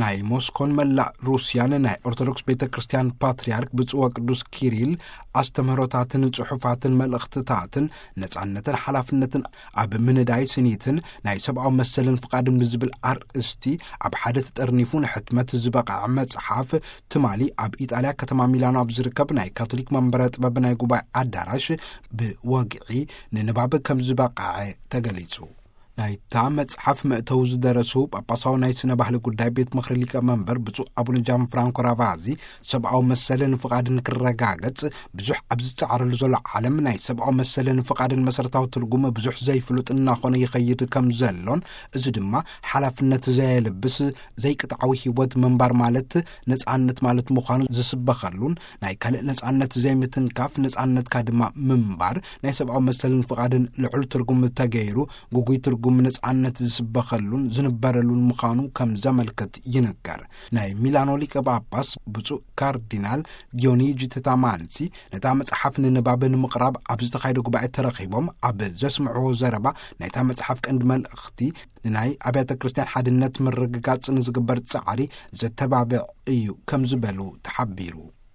ናይ ሞስኮን መላእ ሩስያን ናይ ኦርቶዶክስ ቤተ ክርስቲያን ፓትርያርክ ብፁዕ ወቅዱስ ኪሪል ኣስተምህሮታትን ጽሑፋትን መልእኽትታትን ነጻነትን ሓላፍነትን ኣብ ምንዳይ ስኒትን ናይ ሰብኣዊ መሰልን ፍቓድን ብዝብል ኣርእስቲ ኣብ ሓደ ተጠርኒፉ ንሕትመት ዝበቕዐ መጽሓፍ ትማሊ ኣብ ኢጣልያ ከተማ ሚላኖ ኣብ ዝርከብ ናይ ካቶሊክ መንበረ ጥበብ ናይ ጉባኤ ኣዳራሽ ብወግዒ ንንባብ ከም ዝበቕዐ ተገሊጹ። ናይታ መጽሓፍ መእተዊ ዝደረሱ ጳጳሳዊ ናይ ስነ ባህሊ ጉዳይ ቤት ምኽሪ ሊቀ መንበር ብፁዕ ኣቡነ ጃን ፍራንኮ ራቫዚ፣ ሰብኣዊ መሰልን ፍቓድን ክረጋገጽ ብዙሕ ኣብ ዝጸዓረሉ ዘሎ ዓለም ናይ ሰብኣዊ መሰልን ፍቓድን መሰረታዊ ትርጉም ብዙሕ ዘይፍሉጥ እናኾነ ይኸይድ ከም ዘሎን፣ እዚ ድማ ሓላፍነት ዘየልብስ ዘይቅጥዓዊ ህይወት ምንባር ማለት ነጻነት ማለት ምዃኑ ዝስበኸሉን፣ ናይ ካልእ ነጻነት ዘይምትንካፍ ነጻነትካ ድማ ምንባር ናይ ሰብኣዊ መሰልን ፍቓድን ልዑል ትርጉም ተገይሩ፣ ግጉይ ትርጉም ነጻነት ዝስበኸሉን ዝንበረሉን ምዃኑ ከም ዘመልክት ይንገር። ናይ ሚላኖ ሊቀ ጳጳስ ብፁዕ ካርዲናል ዲዮኒጂ ቴታማንሲ ነታ መጽሓፍ ንንባብ ንምቕራብ ኣብ ዝተኻየደ ጉባኤ ተረኺቦም ኣብ ዘስምዕዎ ዘረባ፣ ናይታ መጽሓፍ ቀንዲ መልእኽቲ ንናይ ኣብያተ ክርስቲያን ሓድነት ምርግጋጽ ንዝግበር ጻዕሪ ዘተባብዕ እዩ ከም ዝበሉ ተሓቢሩ።